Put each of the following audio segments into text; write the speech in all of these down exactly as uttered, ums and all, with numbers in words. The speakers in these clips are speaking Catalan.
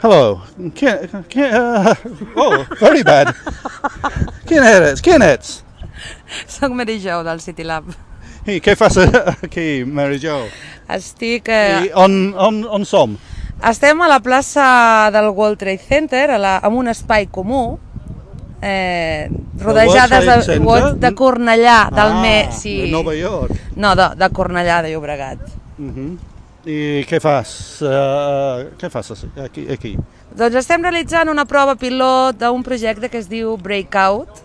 Hello. Can, can, uh, oh, very bad. Quin eres? Quin ets? Soc Mary Jo del City Lab. I què fas aquí, Mary Jo? Estic... Eh, I on, on, on som? estem a la plaça del World Trade Center, a la, en un espai comú, eh, rodejades World Trade de, Center? de Cornellà, del Ah, me... Sí. de Nova York. No, de, de Cornellà, de Llobregat. Uh-huh. I què fas? Uh, què fas aquí, aquí? Doncs estem realitzant una prova pilot d'un projecte que es diu Breakout,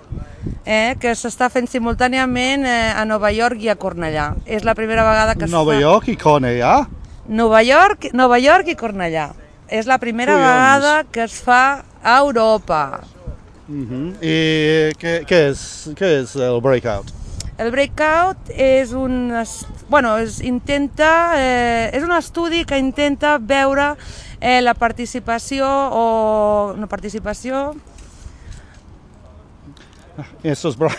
eh, que s'està fent simultàniament eh, a Nova York i a Cornellà. És la primera vegada que es Nova fa... York i Cornellà? Nova York, Nova York i Cornellà. És la primera Collons. vegada que es fa a Europa. Uh-huh. I què, què, és, què és el Breakout? El Breakout és un, bueno, es intenta, eh, és un estudi que intenta veure eh, la participació o no participació... Eso es bra...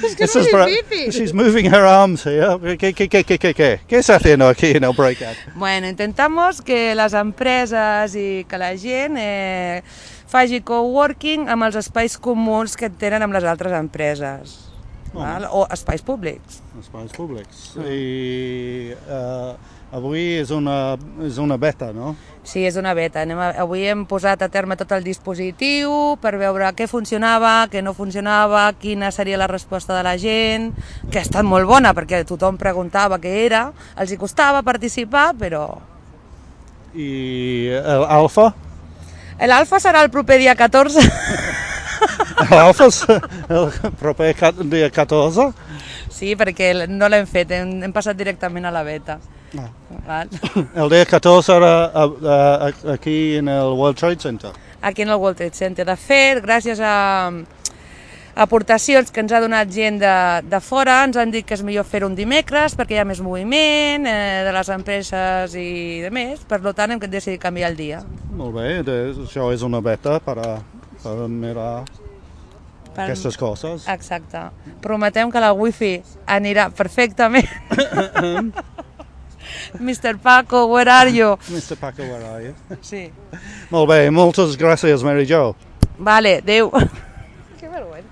Es que Eso es es muy bra... difícil. She's moving her arms here. ¿Qué, qué, qué, qué, qué, qué? ¿Qué está haciendo aquí en el Breakout? Bueno, intentamos que les empreses i que la gent eh, faci coworking amb els espais comuns que tenen amb les altres empreses. Oh. Val? O espais públics. Espais públics. I uh, avui és una, és una beta, no? Sí, és una beta. Anem a, avui hem posat a terme tot el dispositiu per veure què funcionava, què no funcionava, quina seria la resposta de la gent, que ha estat molt bona perquè tothom preguntava què era, els hi costava participar, però... I l'alfa? L'alfa serà el proper dia catorze. L'alfa és el proper dia catorze? Sí, perquè no l'hem fet, hem, hem passat directament a la beta. Ah. Val? El dia catorze era a, a, aquí en el World Trade Center. Aquí en el World Trade Center. De fet, gràcies a aportacions que ens ha donat gent de, de fora, ens han dit que és millor fer un dimecres perquè hi ha més moviment eh, de les empreses i de més, per tant hem decidit canviar el dia. Molt bé, això és una beta per, a, per mirar per... aquestes coses. Exacte. Prometem que la wifi anirà perfectament. mister Paco, where are you? mister Paco, where are you? Sí. Molt bé, moltes gràcies, Mary Jo. Vale, adeu.